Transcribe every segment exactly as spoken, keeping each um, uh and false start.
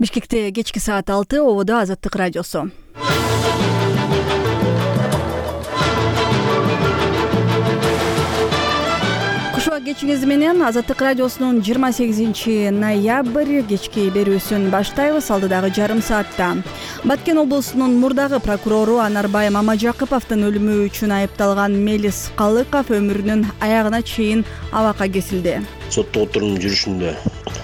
Бишкекте кечки саат алты, ободо Азаттык радиосу. Кушуак кечиңиз менен Азаттык радиосунун жыйырма сегизинчи ноябрь кечки берүүсүн баштайбыз. Алдыдагы жарым саатта Баткен облусунун мурдагы прокурору Анарбай Мамажакыповдун өлүмү үчүн айыпталган Мелис Калыков өмүрүнүн аягына чейин абакка кесилди. Соттук отурумдун жүрүшүндө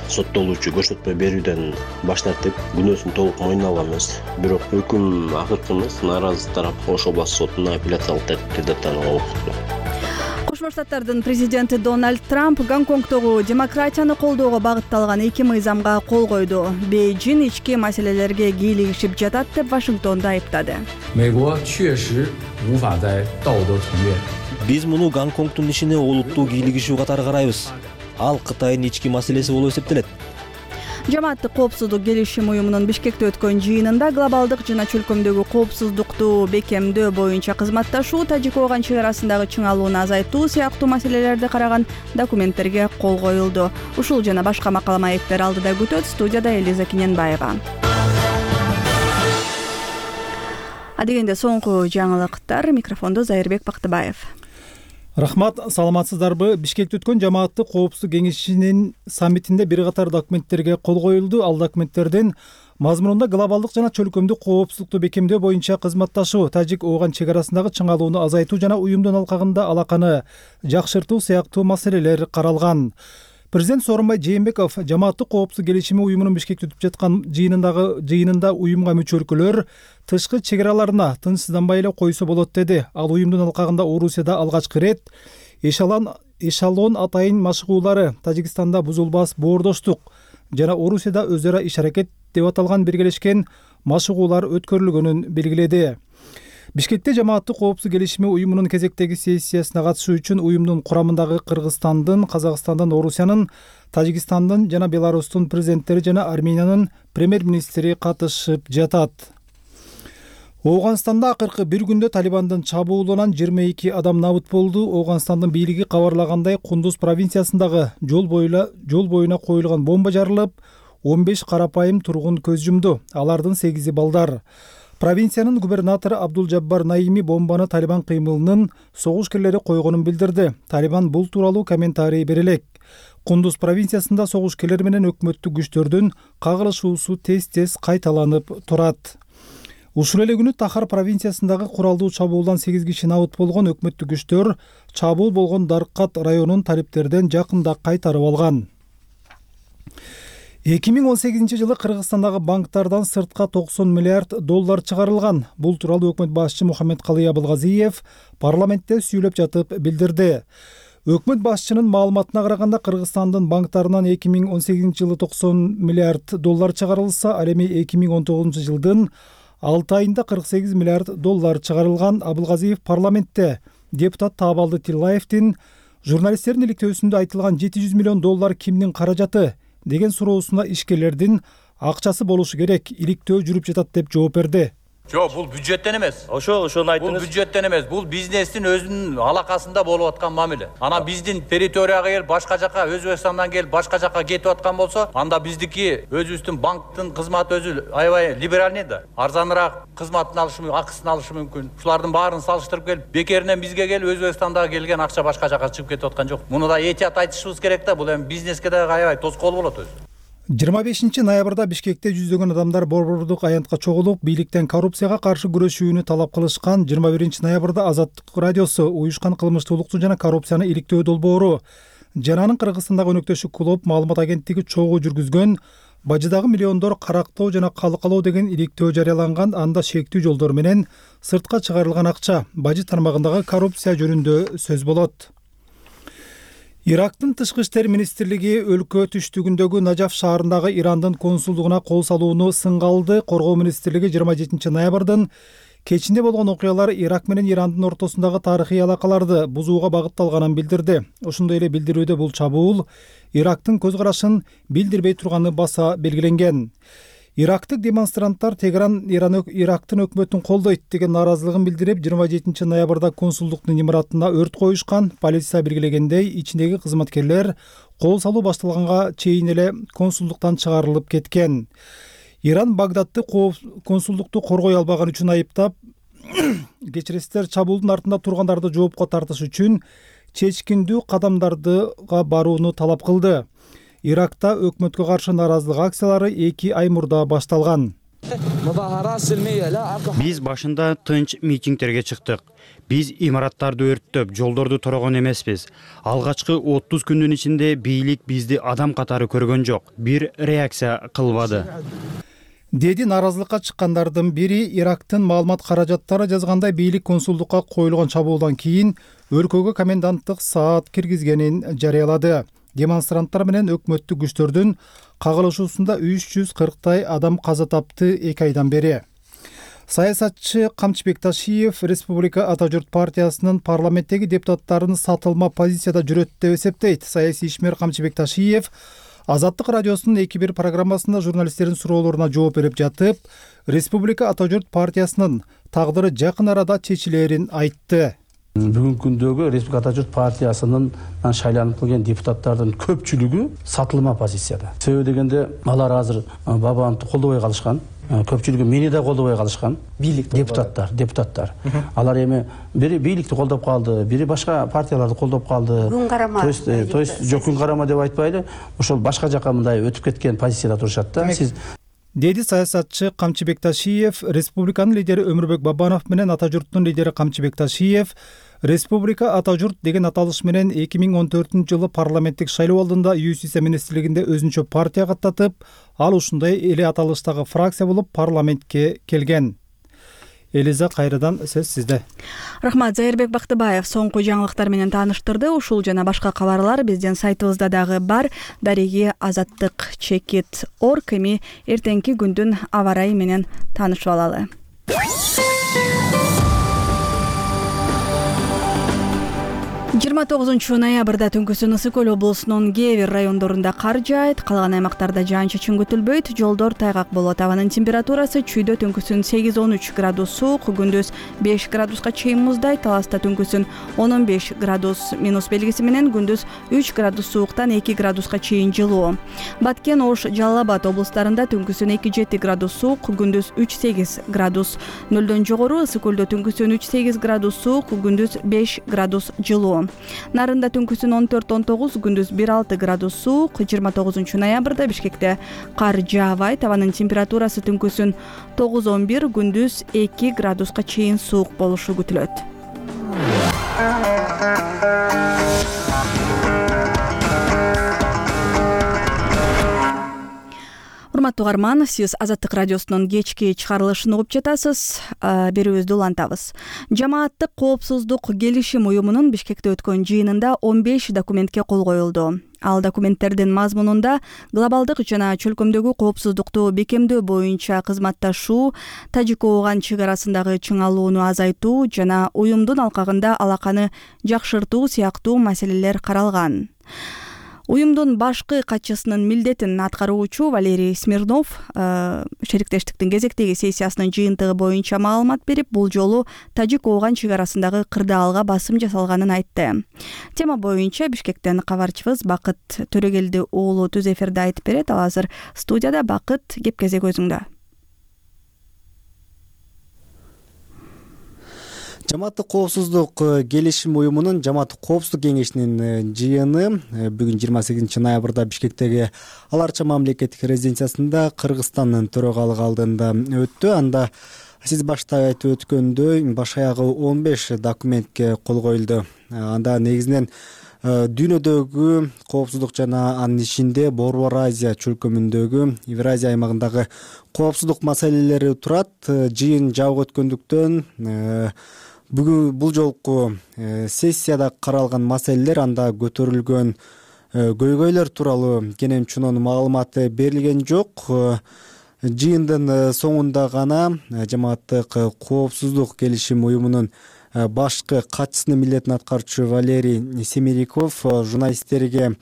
соттолуучу көрсөтмө берүүдөн баш тартып, күнөөсүн толук мойнуна алганбыз. Бирок өкүм акыркы эмес, нааразы тарап Ош областык сотуна апелляциялык тартипте даттанууга укуктуу. Кошмо Штаттардын президенти Дональд Трамп Гонконгдогу демократияны колдоого багытталган эки мыйзамга кол койду. Бейжиң ички маселелерге кийлигишип жатат деп Вашингтонду айыптады. Биз муну Гонконгдун ишине олуттуу кийлигишүү катары карайбыз. Ал Кытайдын ички маселеси болуп эсептелет. Жамааттык коопсуздук келишим уюмунун Бишкекте өткөн жыйынында глобалдык жана чөлкөмдөгү коопсуздукту бекемдөө боюнча кызматташуу, Тажик-Ооган чек арасындагы чыңалууну азайтуу сыяктуу маселелерди караган документтерге кол коюлду. Ушул жана башка макала маектер алдыда күтөт. Студияда Элиза Киненбаева. Адегенде соңку жаңылыктар. Микрофондо Зайырбек Бактыбаев. Рахмат, саламатсыздарбы? Бишкекте өткөн жамааттык коопсуздук кеңешинин саммитинде бир катар документтерге кол коюлду. Ал документтердин мазмунунда глобалдык жана чөлкөмдүк коопсуздукту бекемдөө боюнча кызматташуу, Тажик-Ооган чек арасындагы чыңалууну азайтуу жана уюмдун алкагында алаканы жакшыртуу сыяктуу маселелер каралган. Президент Сооронбай Жээнбеков жамааттык коопсуздук келишими уюмунун Бишкекте өтүп жаткан жыйынындагы жыйынында уюмга мүчө өлкөлөр тышкы чек араларына тынчсызданбай эле койсо болот деди. Ал уюмдун алкагында Орусияда алгачкы ирет эшалон эшалон атайын машыгуулары, Тажикстанда бузулбас боордоштук жана Орусияда өз ара иш-аракет деп аталган биргелешкен машыгуулар өткөрүлгөнүн белгиледи. Бишкекте жамааттык коопсуздук келишими уюмунун кезектеги сессиясына катышуу үчүн уюмдун курамындагы Кыргызстандын, Казакстандын, Орусиянын, Тажикстандын жана Беларустун президенттери жана Армениянын премьер-министри катышып жатат. Ооганстанда акыркы бир күндө Талибандын чабуулунан жыйырма эки адам набыт болду. Ооганстандын бийлиги кабарлагандай, Кундуз провинциясындагы жол боюна жол боюна коюлган бомба жарылып, он беш карапайым тургун көз жумду. Алардын сегизи балдар. Провинциянын губернатору Абдул-Жаббар Наими бомбаны Талибан кыймылынын согушкерлери койгонун билдирди. Талибан бул тууралуу комментарий бере элек. Кундуз провинциясында согушкерлер менен өкмөттүк күчтөрдүн кагылышуусу тез-тез кайталанып турат. Ушул эле күнү Тахар провинциясындагы куралдуу чабуулдан сегиз киши набыт болгон. Өкмөттүк күчтөр чабуул болгон Даркат районун талиптерден жакында кайтарып алган. эки миң он сегизинчи жылы Кыргызстандагы банктардан сыртка токсон миллиард доллар чыгарылган. Бул тууралуу өкмөт башчысы Мухаммедкалый Абылгазиев парламентте сүйлөп жатып билдирди. Өкмөт башчынын маалыматына караганда, Кыргызстандын банктарынан эки миң он сегизинчи жылы токсон миллиард доллар чыгарылса, ал эми эки миң он тогузунчу жылдын алты айында кырк сегиз миллиард доллар чыгарылган. Абылгазиев парламентте депутат Таабалды Тиллаевдин журналисттердин иликтөөсүндө айтылган жети жүз миллион доллар кимдин каражаты деген суроосуна ишкерлердин акчасы болушу керек, иликтөө жүрүп жатат деп жооп берди. Жок, бул бюджеттен эмес. Ошо ошону айтыңыз. Бул бюджеттен эмес, бул бизнестин өзүнүн алакасында болуп аткан мамиле. Ана биздин территорияга келип, башка жака, Өзбекстандан келип, башка жака кетип аткан болсо, анда биздики өзүбүздүн банктын кызматы өзү аябай либеральный да. Арзаныраак кызматын алышы мүмкүн, акысын алышы мүмкүн. Ушулардын баарын салыштырып келип, бекеринен бизге келип, Өзбекстандагы келген акча башка жака чыгып кетип аткан жок. Муну да этият айтышыбыз керек да, бул эми бизнеске да аябай тоскоол болот өзү. жыйырма бешинчи ноябрда Бишкекте жүздөгөн адамдар борбордук аянтка чогулуп, бийликтен коррупцияга каршы күрөшүүнү талап кылышкан. жыйырма биринчи ноябрда Азаттык радиосу уюшкан кылмыштуулукту жана коррупцияны иликтөө долбоору жана анын Кыргызстандагы өнөктөшү клуб маалымат агенттиги чогуу жүргүзгөн бажыдагы миллиондор карактоо жана калкалоо деген иликтөө жарыяланган. Анда шектүү жолдор менен сыртка чыгарылган акча, бажы тармагындагы коррупция жөнүндө сөз болот. Ирактын тышкы иштер министрлиги өлкө түштүгүндөгү Нажаф шаарындагы Ирандын консулдугуна кол салууну сынга алды. Коргоо министрлиги жыйырма жетинчи ноябрдын кечинде болгон окуялар Ирак менен Ирандын ортосундагы тарыхый алакаларды бузууга багытталганын билдирди. Ошондой эле билдирүүдө бул чабуул Ирактын көз карашын билдирбей турганы баса белгиленген. Ирактык демонстранттар Тегеран Иран Ирактын өкмөтүн колдойт деген нааразылыгын билдирип, жыйырма жетинчи ноябрда консулдуктун имаратына өрт коюшкан. Полиция белгилегендей, ичиндеги кызматкерлер кол салуу башталганга чейин эле консулдуктан чыгарылып кеткен. Иран Багдадты консулдукту коргой албаган үчүн айыптап, кечиресиздер, чабуулдун артында тургандарды жоопко тартыш үчүн чечкиндүү кадамдардыга барууну талап кылды. Иракта өкмөткө каршы нааразылык акциялары эки ай мурда башталган. Биз башында тынч митингтерге чыктык. Биз имараттарды өрттөп, жолдорду торогон эмеспиз. Алгачкы отуз күндүн ичинде бийлик бизди адам катары көргөн жок. Бир реакция кылбады. Деди нааразылыкка чыккандардын бири Ирактын маалымат каражаттары жазгандай бийлик консулдукка коюлган чабуулдан кийин өлкөгө коменданттык саат киргизгенин жарыялады. Демонстранттар менен өкмөттүк күчтөрдүн кагылышуусунда үч жүз кырктай адам каза тапты эки айдан бери. Саясатчы Камчыбек Ташиев Республика Ата журт партиясынын парламенттеги депутаттарын сатылма позицияда жүрөт деп эсептейт. Саясий ишмер Камчыбек Ташиев Азаттык радиосунун эки бир программасында журналисттердин суроолоруна жооп берип жатып, Республика Ата журт партиясынын тагдыры жакын арада чечилерин айтты. Бүгүнкү күндөгү Республика Ата журт партиясынын шайланып келген депутаттардын көпчүлүгү сатылма позицияда. Себеби дегенде алар азыр бабамды колдобой калышкан. Көпчүлүгү мени да колдобой калышкан. Бийлик депутаттар, депутаттар. Алар эми бири бийликти колдоп калды, бири башка партияларды колдоп калды. Күн карама. То есть, то есть жок күн карама деп айтпайлы, ошол башка жака мындай өтүп кеткен позицияда турушат да. Сиз деди саясатчы Камчыбек Ташиев. Республиканын лидери Өмүрбек Бабанов менен Ата журттун лидери Камчыбек Ташиев Республика Ата журт деген аталыш менен эки миң он төртүнчү жылы парламенттик шайлоо алдында Юстиция министрлигинде өзүнчө партия каттатып, ал ушундай эле аталыштагы фракция болуп парламентке келген. Элиза, кайрадан сөз сизде. Рахмат. Зайырбек Бактыбаев соңку жаңылыктар менен тааныштырды. Ушул жана башка кабарлар биздин сайтыбызда дагы бар. Дареги азаттык чекит орг. Эми эртеңки күндүн аба ырайы менен таанышып алалы. жыйырма тогузунчу ноябрда түнкүсүн Ысык Көл облусунун кээ бир райондорунда кар жаайт, калган аймактарда жаан-чачын күтүлбөйт, жолдор тайгак болот. Абанын температурасы чүйдө түнкүсүн сегиз он үч градус суук, күндүз беш градуска чейин муздайт. Таласта түнкүсүн он он беш градус минус белгиси менен, күндүз үч градус сууктан эки градуска чейин жылуу. Баткен, Ош, Жалал Абад облустарында түнкүсүн эки жети градус суук, күндүз үч сегиз градус. Нөлдөн жогору Ысык Көлдө түнкүсүн үч сегиз градус суук, күндүз беш градус жылуу. Нарында түнкүсүн он төрт он тогуз, күндүз бир алты градус суук. жыйырма тогузунчу ноябрда Бишкекте кар жаабайт. Абанын температурасы түнкүсүн тогуз он бир, күндүз эки градуска чейин суук болушу күтүлөт. Урматтуу угарман, сиз Азаттык радиосунун кечки чыгарылышын угуп жатасыз. Берүүбүздү улантабыз. Жамааттык коопсуздук келишим уюмунун Бишкекте өткөн жыйынында он беш документке кол коюлду. Ал документтердин мазмунунда глобалдык жана чөлкөмдөгү коопсуздукту бекемдөө боюнча кызматташуу, Тажик-Ооган чек арасындагы чыңалууну азайтуу жана уюмдун алкагында алаканы жакшыртуу сыяктуу маселелер каралган. Уюмдун башкы катчысынын милдетин аткаруучу Валерий Смирнов шериктештиктин кезектеги сессиясынын жыйынтыгы боюнча маалымат берип, бул жолу Тажик-Ооган чек арасындагы кырдаалга басым жасалганын айтты. Тема боюнча Бишкектен кабарчыбыз Бакыт Төрөгелди уулу түз эфирде айтып берет. Ал азыр студияда. Бакыт, кеп кезек өзүңдө. Жамааттык коопсуздук келишим уюмунун жамааттык коопсуздук кеңешинин жыйыны бүгүн жыйырма сегизинчи ноябрда Бишкектеги Ал Арча мамлекеттик резиденциясында Кыргызстандын төрагалыгы алдында өттү. Анда сиз башта айтып өткөндөй баш аягы он беш документке кол коюлду. Анда негизинен дүйнөдөгү коопсуздук жана анын ичинде Борбор Азия чөлкөмүндөгү Евразия аймагындагы коопсуздук маселелери турат. Жыйын жабык өткөндүктөн бүгүн бул жолку сессияда каралган маселелер, анда көтөрүлгөн көйгөйлөр тууралуу кенен чунун маалыматы берилген жок. Жыйындын соңунда гана жамааттык коопсуздук келишим уюмунун башкы катчысынын милдетин аткаруучу Валерий Семериков журналисттерге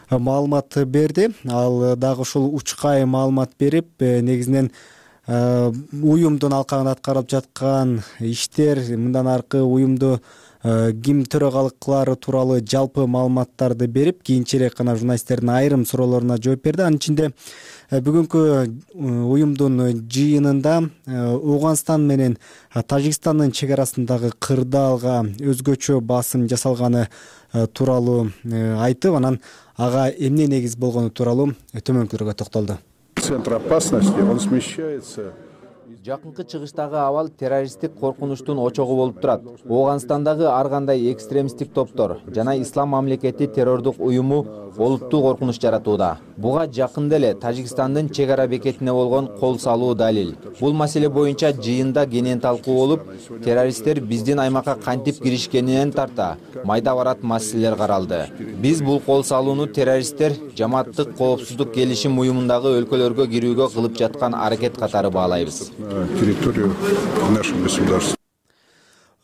маалымат берди. Ал дагы ушул учкай маалымат берип, негизинен уюмдун алкагында аткарылып жаткан иштер, мындан аркы уюмду ким төрагалык кылаары тууралуу жалпы маалыматтарды берип, кийинчерээк гана журналисттердин айрым суроолоруна жооп берди. Анын ичинде бүгүнкү уюмдун жыйынында Ооганстан менен Тажикстандын чек арасындагы кырдаалга өзгөчө басым жасалганы тууралуу айтып, анан ага эмне негиз болгону тууралуу төмөнкүлөргө токтолду. Центр опасности, он смещается. Жакынкы чыгыштагы абал террористтик коркунучтун очогу болуп турат. Ооганстандагы ар кандай экстремисттик топтор жана Ислам мамлекети террордук уюму олуттуу коркунуч жаратууда. Буга жакында эле Тажикстандын чек ара бекетине болгон кол салуу далил. Бул маселе боюнча жыйында кенен талкуу болуп, террористтер биздин аймакка кантип киришкенинен тарта майда барат маселелер каралды. Биз бул кол салууну террористтер Жамааттык коопсуздук келишим уюмундагы өлкөлөргө кирүүгө кылып жаткан аракет катары баалайбыз. Территорию наших государств.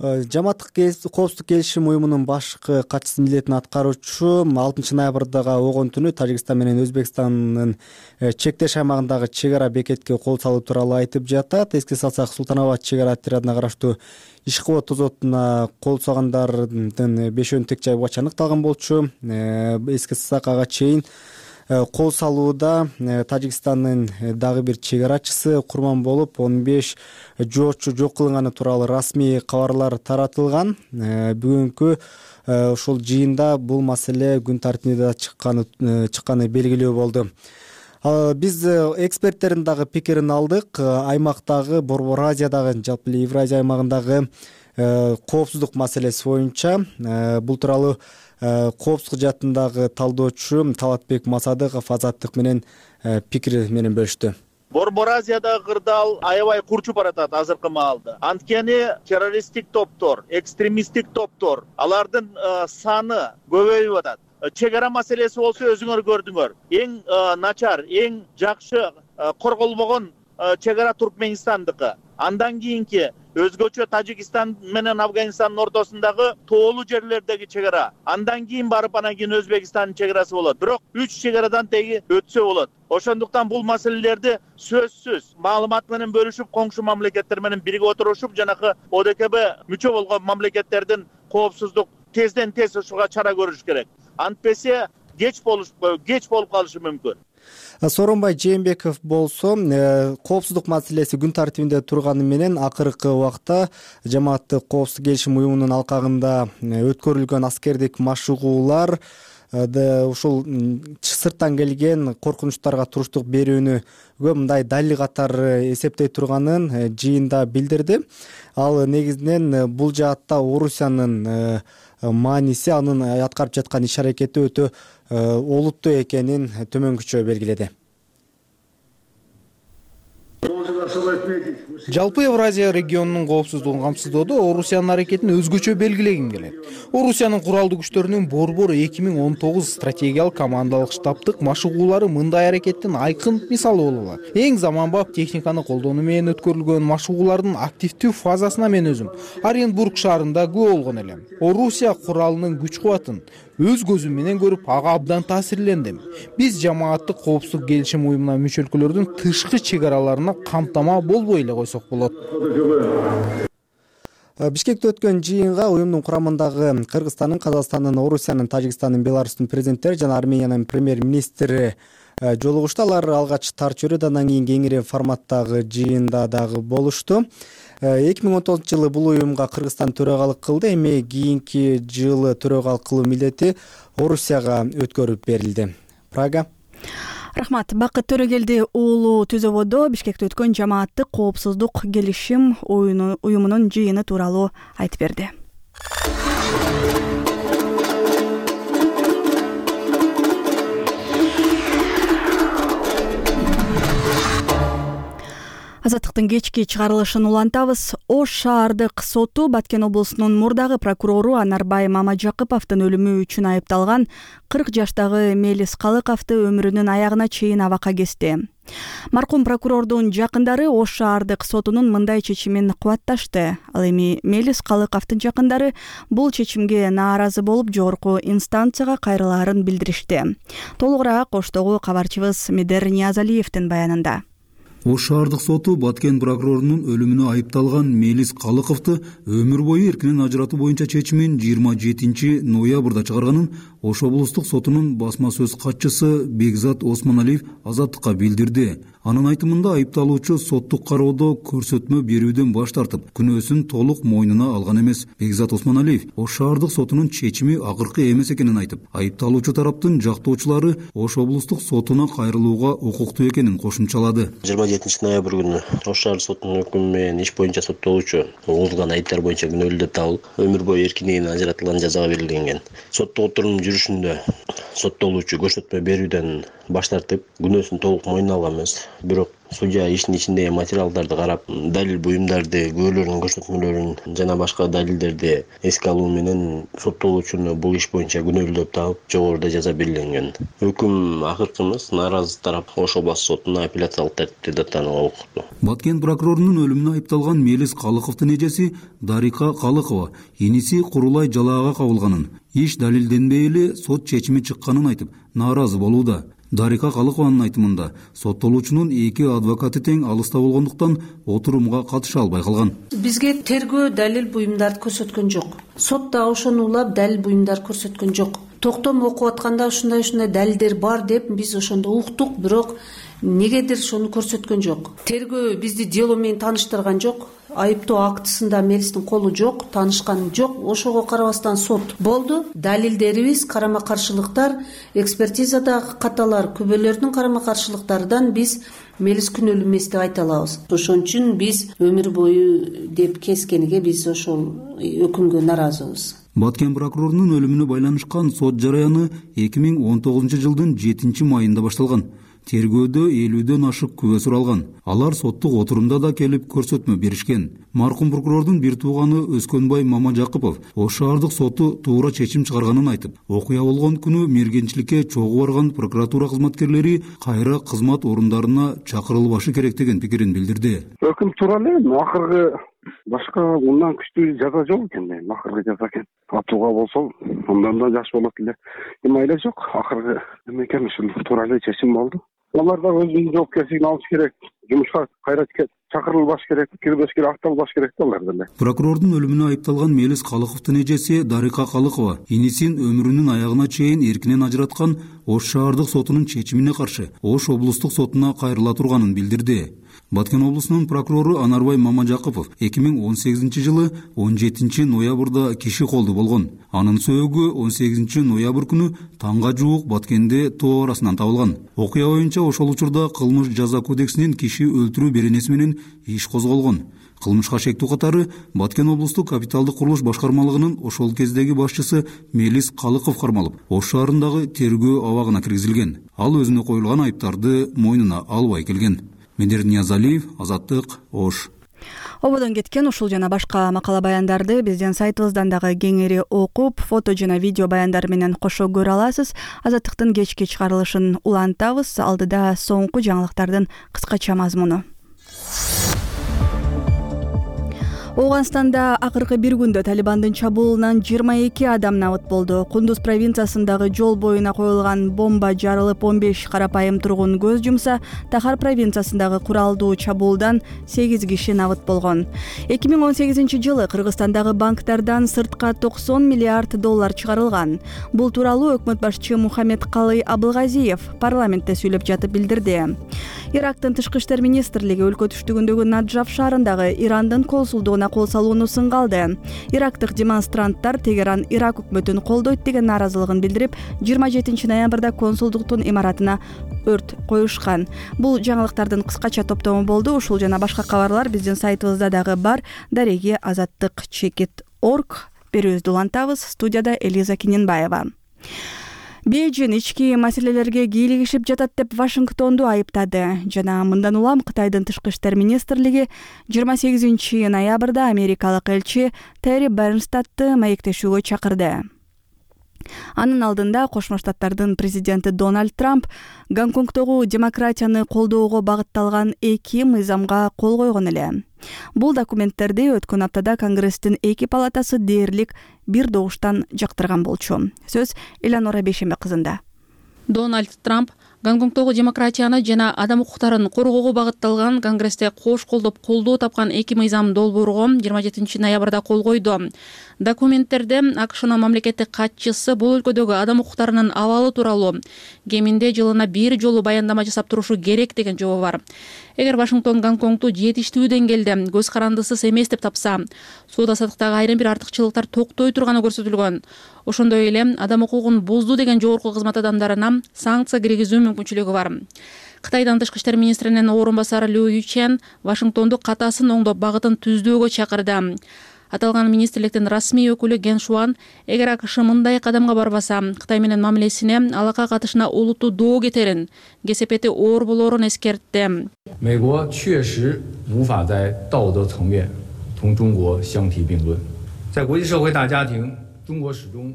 Жамааттык коопсуздук келишим уюмунун башкы катчысы милдетин аткаруучу алтынчы ноябрдагы огон түнү Тажикстан менен Өзбекстандын чектеш аймагындагы чек ара бекетке кол салуу тууралуу айтып жатат. Эске салсак, Султанабад чек ара отрядына караштуу Ишкова тозотуна кол салгандардын бешөөнүн тең жайы буга аныкталган болчу. Эске салсак, ага чейин кол салууда Тажикстандын дагы бир чек арачысы курман болуп, он беш жоочу жок кылынганы тууралуу расмий кабарлар таратылган. Бүгүнкү ушул жыйында бул маселе күн тартибине чыкканы чыкканы белгилүү болду. Биз эксперттердин дагы пикирин алдык. Аймактагы, Борбор Азиядагы, жалпы Евразия аймагындагы коопсуздук маселеси боюнча бул тууралуу коопсуздук жаатындагы талдоочу Талатбек Масадыков Азаттык менен пикири менен бөлүштү. Борбор Азиядагы кырдаал аябай курчуп баратат азыркы маалда. Анткени террористтик топтор, экстремисттик топтор, алардын саны көбөйүп атат. Чек ара маселеси болсо өзүңөр көрдүңөр. Эң начар, эң жакшы корголбогон чек ара Туркменистандыкы. Андан кийинки өзгөчө Тажикстан менен Афганистандын ортосундагы тоолуу жерлердеги чек ара. Андан кийин барып анан кийин Өзбекстандын чек арасы болот. Бирок үч чек арадан теги өтсө болот. Ошондуктан бул маселелерди сөзсүз маалымат менен бөлүшүп, коңшу мамлекеттер менен биригип отурушуп, жанакы О Д К Б мүчө болгон мамлекеттердин коопсуздук тезден тез ушуга чара көрүш керек. Антпесе кеч болуш кеч болуп калышы мүмкүн. Сооронбай Жээнбеков болсо коопсуздук маселеси күн тартибинде турганы менен акыркы убакта Жамааттык коопсуздук келишим уюмунун алкагында өткөрүлгөн аскердик машыгуулар ушул сырттан келген коркунучтарга туруштук берүүнүгө мындай далил катары эсептей турганын жыйында билдирди. Ал негизинен бул жаатта Орусиянын мааниси, анын аткарып жаткан иш аракети өтө олуттуу экенин төмөнкүчө белгиледи. Жалпы Евразия регионунун коопсуздугун камсыздоодо Орусиянын аракетин өзгөчө белгилегим келет. Орусиянын куралдуу күчтөрүнүн Борбор эки миң он тогуз стратегиялык командалык штабтык машыгуулары мындай аракеттин айкын мисалы боло алат. Эң заманбап техниканы колдонуу менен өткөрүлгөн машыгуулардын активдүү фазасына мен өзүм Оренбург шаарында күбө болгон элем. Орусия куралынын күч кубатын өз көзүм менен көрүп, ага абдан таасирлендим. Биз Жамааттык коопсуздук келишим уюмуна мүчө өлкөлөрдүн тышкы чек араларына камтама болбой эле койсок болот. Бишкекте өткөн жыйынга уюмдун курамындагы Кыргызстандын, Казакстандын, Орусиянын, Тажикстандын, Беларустун президенттери жана Армениянын премьер-министри жолугушту. Алар алгач тар чөйрөдө, андан кийин кеңири форматтагы жыйында дагы болушту. эки миң он тогузунчу жылы бул уюмга Кыргызстан төрагалык кылды. Эми кийинки жылы төрагалык кылуу милдети Орусияга өткөрүп берилди. Прага. Рахмат. Бакыт Төрөгелди уулу Түзөбодо Бишкекте өткөн Жамааттык коопсуздук келишим уюмунун жыйыны тууралуу айтып берди. Азаттыктын кечки чыгарылышын улантабыз. Ош шаардык соту Баткен облусунун мурдагы прокурору Анарбай Мамаджакыповдун өлүмү үчүн айыпталган кырк жаштагы Мелис Калыковду өмүрүнүн аягына чейин абакка кести. Маркум прокурордун жакындары Ош шаардык сотунун мындай чечимин кубатташты. Ал эми Мелис Калыковдун жакындары бул чечимге нааразы болуп, жогорку инстанцияга кайрылаарын билдиришти. Толугураак Оштогу кабарчыбыз Медер Ниязалиевдин баянында. Ош шаардык соту Баткен прокурорунун өлүмүнө айыпталган Мелис Калыковду өмүр бою эркинен ажыратуу боюнча чечимин жыйырма жетинчи ноябрда чыгарганын Ош облустук сотунун басма сөз катчысы Бекзат Осмоналиев Азаттыкка билдирди. Анын айтымында айыпталуучу соттук кароодо көрсөтмө берүүдөн баш тартып, күнөөсүн толук мойнуна алган эмес. Бекзат Осмоналиев Ош шаардык сотунун чечими акыркы эмес экенин айтып, айыпталуучу тараптын жактоочулары Ош облустук сотуна кайрылууга укуктуу экенин кошумчалады. жыйырма жетинчи ноябрь күнү Ош шаардык сотунун өкүмү менен иш боюнча соттолуучу угулган айыптар боюнча күнөөлүү деп табылып, өмүр бою эркиндигинен ажыратылган жазага белгиленген. Соттук отурумдун жүрүшүндө соттолуучу көрсөтмө берүүдөн баш тартып, күнөөсүн толук мойнуна алган эмес. Бирок судья иштин ичиндеги материалдарды карап, далил буюмдарды, күбөлөрдүн көрсөтмөлөрүн жана башка далилдерди эске алуу менен соттолуучуну бул иш боюнча күнөөлүү деп таап, жогоруда жаза белгиленген. Өкүм акыркымыз нааразы тарап Ош областык сотуна апелляциялык тартипте даттанууга укуктуу. Баткен прокурорунун өлүмүнө айыпталган Мелис Калыковдун эжеси Дарика Калыкова иниси Курулай жалаага кабылганын, иш далилденбей эле сот чечими чыкканын айтып, нааразы болууда. Дарика Калыкованын айтымында соттолуучунун эки адвокаты тең алыста болгондуктан отурумга катыша албай калган. Бизге тергөө далил буюмдарды көрсөткөн жок. Сот да ошону улап далил буюмдар көрсөткөн жок. Токтом окуп атканда ушундай ушундай далилдер бар деп биз ошондо уктук, бирок негедир ошону көрсөткөн жок. Тергөө бизди дело менен тааныштырган жок. Айыптоо актысында Мелистин колу жок, таанышкан жок. Ошого карабастан сот болду. Далилдерибиз, карама каршылыктар, экспертизадагы каталар, күбөлөрдүн карама каршылыктарынан биз Мелис күнөөлүү эмес деп айта алабыз. Ошон үчүн биз өмүр бою деп кескениге биз ошол өкүмгө нааразыбыз. Баткен прокурорунун өлүмүнө байланышкан сот жараяны эки миң он тогузунчу жылдын жетинчи майында башталган. Тергөөдө элүүдөн ашык күбө суралган. Алар соттук отурумда да келип көрсөтмө беришкен. Маркум прокурордун бир тууганы Өскөнбай Мамажакупов Ош шаардык соту туура чечим чыгарганын айтып, окуя болгон күнү мергенчиликке чогуу барган прокуратура кызматкерлери кайра кызмат орундарына чакырылбашы керек деген пикирин билдирди. Өкүм туура эле, акыркы башка мындан күчтүү жаза жок экен, акыркы жаза экен. Атууга болсо, андан да жакшы болот эле. Эми айла жок, акыркы эме экен, ушул туура эле чечим болду. Алар да өзүнүн жоопкерчилигин алыш керек, жумушка кайра чакырылбаш керек, кирбеш керек, акталбаш керек да алар деле. Прокурордун өлүмүнө айыпталган Мелис Калыковдун эжеси Дарика Калыкова инисин өмүрүнүн аягына чейин эркинен ажыраткан Ош шаардык сотунун чечимине каршы Ош облустук сотуна кайрыла турганын билдирди. Баткен облусунун прокурору Анарбай Мамажакупов эки миң он сегизинчи жылы он жетинчи ноябрда киши колду болгон. Анын сөөгү он сегизинчи ноябрь күнү таңга жуук Баткенде тоо арасынан табылган. Окуя боюнча ошол учурда кылмыш жаза кодексинин киши өлтүрүү беренеси менен иш козголгон. Кылмышка шектүү катары Баткен облустук капиталдык курулуш башкармалыгынын ошол кездеги башчысы Мелис Калыков кармалып, Ош шаарындагы тергөө абагына киргизилген. Ал өзүнө коюлган айыптарды мойнуна албай келген. Медер Ниязалиев, Азаттык, Ош. Ободон кеткен ушул жана башка макала баяндарды биздин сайтыбыздан дагы кеңири окуп, фото жана видео баяндар менен кошо көрө аласыз. Азаттыктын кечки чыгарылышын улантабыз. Алдыда соңку жаңылыктардын кыскача мазмуну. Ооганстанда акыркы бир күндө Талибандын чабуулунан жыйырма эки адам набыт болду. Кундуз провинциясындагы жол боюна коюлган бомба жарылып он беш карапайым тургун көз жумса, Тахар провинциясындагы куралдуу чабуулдан сегиз киши набыт болгон. эки миң он сегизинчи жылы Кыргызстандагы банктардан сыртка токсон миллиард доллар чыгарылган. Бул тууралуу өкмөт башчы Мухаммедкалый Абылгазиев парламентте сүйлөп жатып билдирди. Ирактын тышкы иштер министрлиги өлкө түштүгүндөгү Наджаф шаарындагы Ирандын консулдугуна кол салууну сынга алды. Ирактык демонстранттар Тегеран Ирак өкмөтүн колдойт деген нааразылыгын билдирип, жыйырма жетинчи ноябрда консулдуктун имаратына өрт коюшкан. Бул жаңылыктардын кыскача топтому болду. Ушул жана башка кабарлар биздин сайтыбызда дагы бар. Дареги азаттык чекит точка орг. Берүүбүздү улантабыз. Студияда Элиза Киненбаева. Бейжин ички маселелерге кийлигишип жатат деп Вашингтонду айыптады. Жана мындан улам Кытайдын тышкы иштер министрлиги жыйырма сегизинчи ноябрда америкалык элчи Терри Бернстадты маектешүүгө чакырды. Анын алдында Кошмо Штаттардын президенти Дональд Трамп Гонконгдогу демократияны колдоого багытталган эки мыйзамга кол койгон эле. Бул документтерди өткөн аптада Конгресстин эки палатасы дээрлик бир добуштан жактырган болчу. Сөз Элеонора Бейшембе кызында. Дональд Трамп Гонконгдогу демократияны жана адам укуктарын коргоого багытталган конгрессте кош колдоп колдоо тапкан эки мыйзам долбоорго жыйырма жетинчи ноябрда кол койду. Документтерде АКШнын мамлекеттик катчысы бул өлкөдөгү адам укуктарынын абалы тууралуу кеминде жылына бир жолу баяндама жасап турушу керек деген жобо бар. Эгер Вашингтон Гонконгду жетиштүү деңгээлде көз карандысыз эмес деп тапса, соода саттыктагы айрым бир артыкчылыктар токтой турганы көрсөтүлгөн. Ошондой эле адам укугун бузду деген жогорку кызмат адамдарына санкция киргизүү мүмкүнчүлүгү бар. Кытайдын тышкы иштер министринин орун басары Лю Ючен Вашингтонду катасын оңдоп багытын түздөөгө чакырды. Аталган министрликтин расмий өкүлү Ген Шуан, эгер АКШ мындай кадамга барбаса, Кытай менен мамилесине, алакка катышына олуттуу доо кетерин, кесепети оор болоорун эскертти.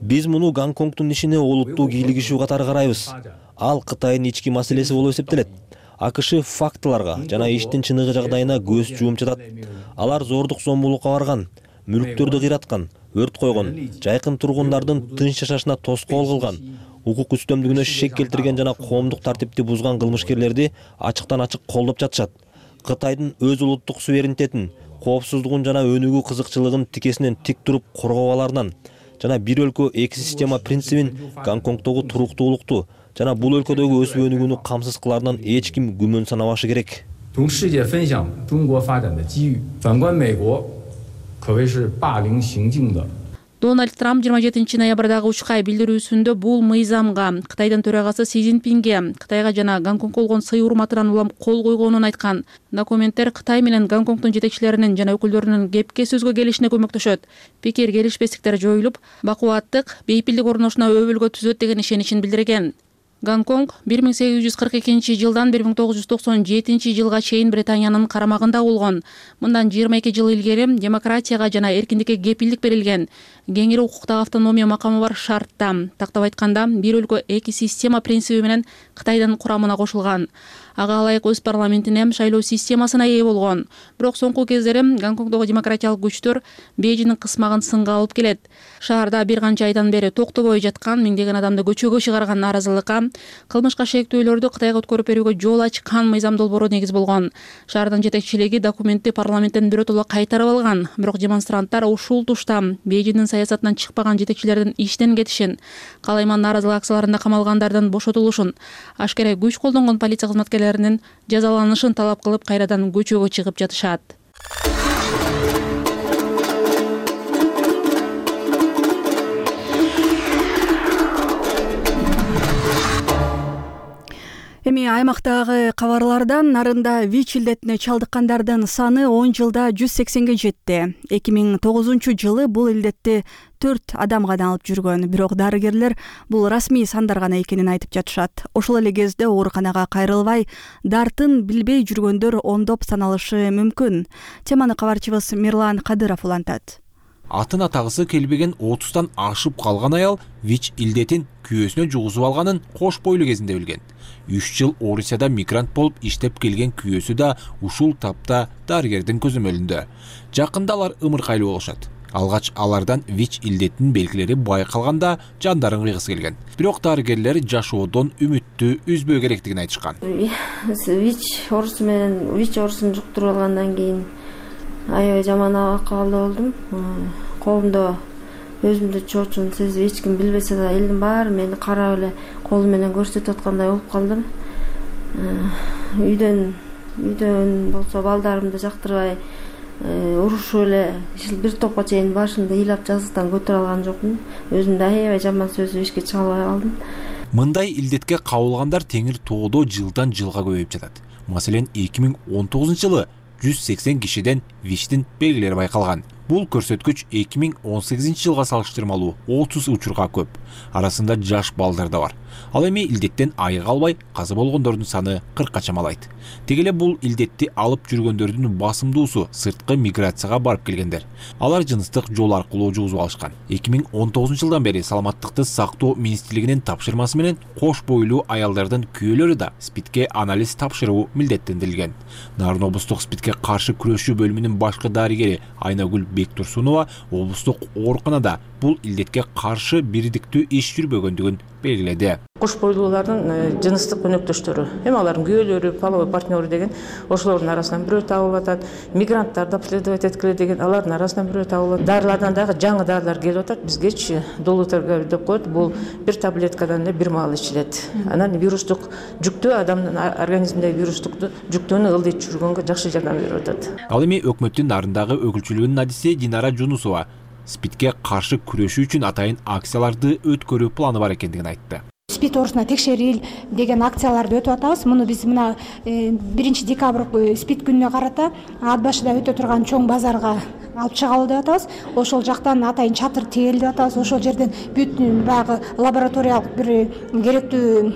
Биз муну Гонконгдун ишине олуттуу кийлигишүү катары карайбыз. Ал Кытайдын ички маселеси болуп эсептелет. АКШ фактыларга жана иштин чыныгы жагдайына көз жумуп жатат. Алар зордук зомбулукка барган, мүлктөрдү кыйраткан, өрт койгон, жайкын тургундардын тынч жашашына тоскоол кылган, укук үстөмдүгүнө шек келтирген жана коомдук тартипти бузган кылмышкерлерди ачыктан ачык колдоп жатышат. Кытайдын өз улуттук суверенитетин, коопсуздугун жана өнүгүү кызыкчылыгын тикесинен тик туруп коргоо аларынан жана бир өлкө эки система принцибин Гонконгдогу туруктуулукту жана бул өлкөдөгү өсүп өнүгүүнү камсыз кыларынан эч ким күмөн санабашы керек. Дональд Трамп жыйырма жетинчи ноябрдагы учкай билдирүүсүндө бул мыйзамга Кытайдын төрагасы Си Цзиньпинге Кытайга жана Гонконгго болгон сый урматынан улам кол койгонун айткан. Документтер Кытай менен Гонконгдун жетекчилеринин жана өкүлдөрүнүн кепке сөзгө келишине көмөктөшөт. Пикир келишпестиктер жоюлуп, бакубаттык, бейпилдик орношуна өбөлгө түзөт деген ишеничин билдирген. Гонконг бир миң сегиз жүз кырк экинчи жылдан бир миң тогуз жүз токсон жетинчи жылга чейин Британиянын карамагында болгон. Мындан жыйырма эки жыл илгери демократияга жана эркиндикке кепилдик берилген. Кеңири укуктагы автономия макамы бар шартта, тактап айтканда, бир өлкө эки система принциби менен Кытайдын курамына кошулган. Ага ылайык өз парламентине шайлоо системасына ээ болгон. Бирок соңку кездери Гонконгдогу демократиялык күчтөр Бейжиңдин кысмагын сынга алып келет. Шаарда бир канча айдан бери токтобой жаткан миңдеген адамды көчөгө чыгарган нааразылыкка, кылмышка шектөөлөрдү Кытайга өткөрүп берүүгө жол ачкан мыйзам долбоору негиз болгон. Шаардын жетекчилиги документти парламенттен биротоло кайтарып алган, бирок демонстранттар ушул тушта Бейжиңдин саясатынан чыкпаган жетекчилердин иштен кетишин, калайман нааразылык акцияларында камалгандардын бошотулушун, ашкере күч колдонгон полиция кызматкерлеринин жазаланышын талап кылып кайрадан көчөгө чыгып жатышат. Эми аймактагы кабарлардан нарында ВИЧ илдетине чалдыккандардын саны он жылда жүз сексенге жетти. эки миң тогузунчу жылы бул илдетти төрт адам гана алып жүргөн, бирок дарыгерлер бул расмий сандар гана экенин айтып жатышат. Ошол эле кезде ооруканага кайрылбай, дартын билбей жүргөндөр ондоп саналышы мүмкүн. Теманы кабарчыбыз Мирлан Кадыров улантат. Атын атагысы келбеген отуздан ашып калган аял ВИЧ илдетин күйөөсүнө жугузуп алганын кош бойлуу кезинде билген. үч жыл Орусияда мигрант болуп иштеп келген күйөөсү да ушул тапта дарыгердин көзөмөлүндө. Жакында алар ымыркайлуу болушат. Алгач алардан ВИЧ илдетинин белгилери байкалганда жандарын кыйгысы келген. Бирок дарыгерлер жашоодон үмүттү үзбөө керектигин айтышкан. ВИЧ оорусу менен ВИЧ оорусун жуктуруп алгандан кийин аябай жаман акыбалда болдум. Колумда өзүмдү чоочун сезип, эч ким билбесе да элдин баары мени карап эле колу менен көрсөтүп аткандай болуп калдым. Үйдөн үйдөн болсо балдарымды жактырбай урушуп эле бир топко чейин башымды ыйлап жазыктан көтөрө алган жокмун. Өзүмдү аябай жаман сөзүп эчке чыга албай калдым. Мындай илдетке кабылгандар теңир тоодо жылдан жылга көбөйүп жатат. Маселен эки миң он тогузунчу жылы жүз сексен кишиден ВИЧтин белгилери байкалган. Бул көрсөткүч эки миң он сегизинчи жылга салыштырмалуу отуз учурга көп. Арасында жаш балдар да бар. Ал эми илдеттен айыга албай каза болгондордун саны кыркка чамалайт. Деги эле бул илдетти алып жүргөндөрдүн басымдуусу сырткы миграцияга барып келгендер. Алар жыныстык жол аркылуу жугузуп алышкан. эки миң он тогузунчу жылдан бери саламаттыкты сактоо министрлигинин тапшырмасы менен кош бойлуу аялдардын күйөөлөрү да СПИДке анализ тапшыруу милдеттендирилген. Нарын облустук СПИДке каршы күрөшүү бөлүмүнүн башкы дарыгери Айнагүл Бектурсунова облустук ооруканада бул илдетке каршы бирдиктүү иш жүрбөгөндүгүн белгиледи. Кош бойлуулардын жыныстык өнөктөштөрү, эми алардын күйөөлөрү, половой партнеры деген ошолордун арасынан бирөө табылып атат. Мигранттарды обследовать эткиле деген алардын арасынан бирөө табылып атат. Дарылардан дагы жаңы дарылар келип атат. Бизгечи долуторга деп коет. Бул бир таблеткадан эле бир маал ичилет. Анан вирустук жүктөө, адамдын организминдеги вирустук жүктөөнү ылдыйтып жүргөнгө жакшы жардам берип атат. Ал эми өкмөттүн нарындагы өкүлчүлүгүнүн адиси Динара Жунусова СПИДке каршы күрөшүү үчүн атайын акцияларды өткөрүү планы бар экендигин айтты. СПИД оорусуна текшерил деген акцияларды өтүп атабыз. Муну биз мына биринчи декабрь СПИД күнүнө карата ат башыда өтө турган чоң базарга алып чыгалы деп атабыз. Ошол жактан атайын чатыр тигели деп атабыз. Ошол жерден бүт баягы лабораториялык бир керектүү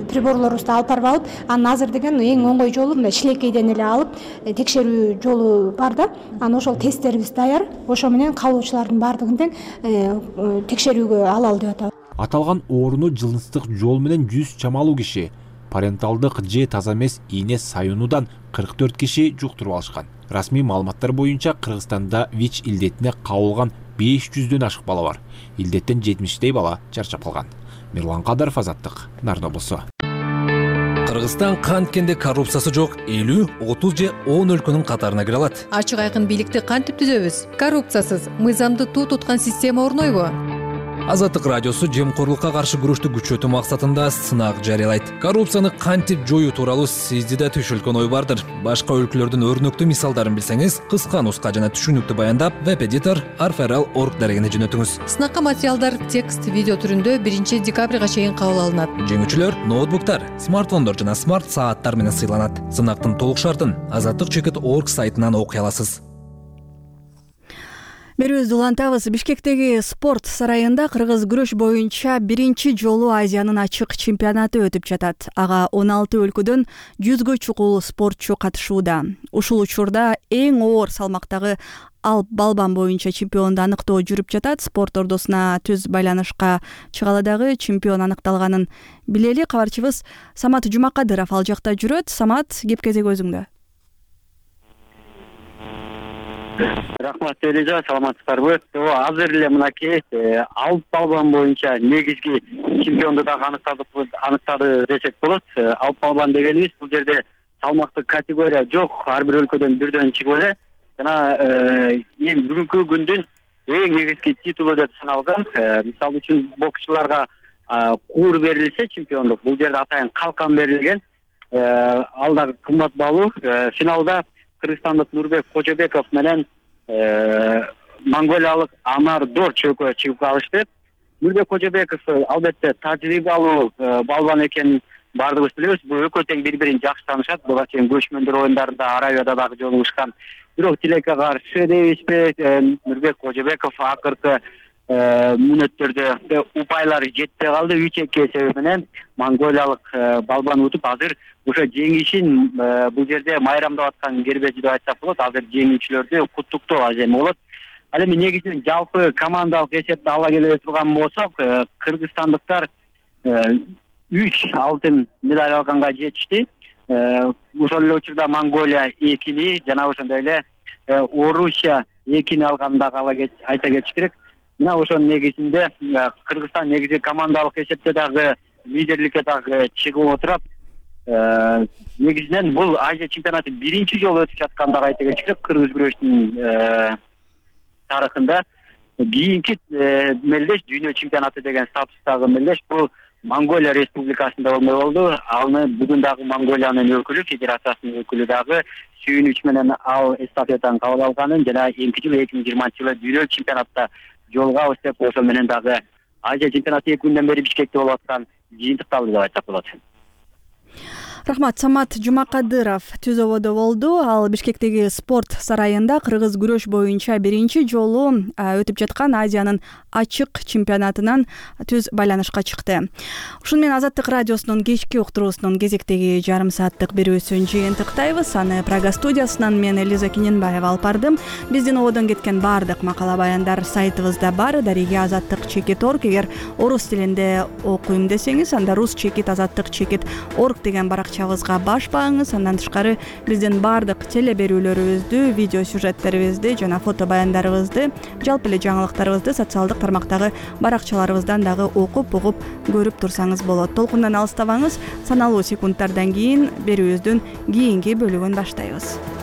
приборлорубузду алып барып алып, анан азыр деген эң оңой жолу мына шилекейден эле алып текшерүү жолу бар да. Анан ошол тесттерибиз даяр. Ошо менен калуучулардын баардыгын тең текшерүүгө алалы деп атабыз. Аталган ооруну жылынстык жол менен жүз чамалуу киши, паренталдык же таза эмес ийне саюнуудан кырк төрт киши жуктуруп алышкан. Расмий маалыматтар боюнча Кыргызстанда ВИЧ илдетине кабылган беш жүздөн ашык бала бар. Илдеттен жетимиштей бала чарчап калган. Мирлан Кадаров, Азаттык, Нарын облусу. Кыргызстан канткенде коррупциясы жок элүү, отуз же он өлкөнүн катарына кире алат. Ачык айкын бийликти кантип түзөбүз? Коррупциясыз мыйзамды туу туткан система орнойбу? Азаттык радиосу жемкорлукка каршы күрөштү күчөтүү максатында сынак жарыялайт. Коррупцияны кантип жоюу тууралуу сизди да түшүлгөн ой бардыр. Башка өлкөлөрдүн өрнөктүү мисалдарын билсеңиз, кыска нуска жана түшүнүктүү баяндап веб-эдитор арферал точка орг дарегине жөнөтүңүз. Сынакка материалдар текст, видео түрүндө биринчи декабрга чейин кабыл алынат. Жеңүүчүлөр ноутбуктар, смартфондор жана смарт сааттар менен сыйланат. Сынактын толук шартын азаттык точка орг сайтынан окуй аласыз. Берүүбүздү улантабыз. Бишкектеги спорт сарайында кыргыз күрөш боюнча биринчи жолу Азиянын ачык чемпионаты өтүп жатат. Ага он алты өлкөдөн жүзгө чукул спортчу катышууда. Ушул учурда эң оор салмактагы ал балбан боюнча чемпионду аныктоо жүрүп жатат. Спорт ордосуна түз байланышка чыгалы дагы чемпион аныкталганын билели. Кабарчыбыз Самат Жумакадыров ал жакта жүрөт. Самат, кеп кезек өзүңдө. Рахмат Элиза, саламатсыздарбы? Азыр эле мынакей алып балбан боюнча негизги чемпионду дагы аныктады десек болот. Алып балбан дегенибиз бул жерде салмактык категория жок, ар бир өлкөдөн бирден чыгып эле. Жана эми бүгүнкү күндүн эң негизги титулу деп саналган. Мисалы үчүн боксчуларга куур берилсе чемпиондук, бул жерде атайын калкан берилген. Ал дагы кымбат баалуу. Финалда кыргызстандык Нурбек Кожобеков менен монголиялык Амар Дорч экөө чыгып калышты. Нурбек Кожобеков албетте тажрыйбалуу балбан экенин баардыгыбыз билебиз. Бул экөө тең бири-бирин жакшы таанышат. Буга чейин көчмөндөр оюндарында Аравияда дагы жолугушкан. Бирок тилекке каршы дейбизби, Нурбек Кожобеков акыркы мүнөттөрдө упайлары жетпей калды. үч эки себеби менен монголиялык балбан утуп азыр ошо жеңишин бул жерде майрамдап аткан кербези деп айтсак болот. Азыр жеңүүчүлөрдү куттуктоо аземи болот. Ал эми негизинен жалпы командалык эсепте ала келе турган болсок, кыргызстандыктар үч алтын медаль алганга жетишти. Ошол эле учурда Монголия экини жана ошондой эле Орусия экини алганын дагы айта кетиш керек. Мына ошонун негизинде Кыргызстан негизи командалык эсепте дагы лидерликке дагы чыгып отурат. Негизинен бул Азия чемпионаты биринчи жолу өтүп жаткандыгы айта кетиш керек кыргыз күрөшүнүн тарыхында. Кийинки мелдеш дүйнө чемпионаты деген статустагы мелдеш бул Монголия республикасында болмой болду. Аны бүгүн дагы Монголиянын өкүлү, федерациясынын өкүлү дагы сүйүнүч менен ал эстафетаны кабыл алганын жана эмки жылы эки миң жыйырманчы жылы дүйнө чемпионатта жолугабыз деп ошо менен дагы Азия чемпионаты эки күндөн бери Бишкекте болуп аткан жыйынтыкталды деп айтсак болот. Рахмат. Самат Жумакадыров түз ободо болду. Ал Бишкектеги спорт сарайында кыргыз күрөш боюнча биринчи жолу өтүп жаткан Азиянын ачык чемпионатынан түз байланышка чыкты. Ушуну менен Азаттык радиосунун кечки уктуруусунун кезектеги жарым сааттык берүүсүн жыйынтыктайбыз. Аны Прага студиясынан мен Элиза Кененбаева алып бардым. Биздин ободон кеткен баардык макала баяндар сайтыбызда бар. Дареге азаттык точка орг. Эгер орус тилинде окуйм десеңиз, анда рус чекит азаттык чекит орг деген баракча баракчабызга баш бааңыз. Андан тышкары биздин баардык теле берүүлөрүбүздү, видео сюжеттерибизди жана фото баяндарыбызды, жалпы эле жаңылыктарыбызды социалдык тармактагы баракчаларыбыздан дагы окуп, угуп, көрүп турсаңыз болот. Толкундан алыстабаңыз. Саналуу секундтардан кийин берүүбүздүн кийинки бөлүгүн баштайбыз.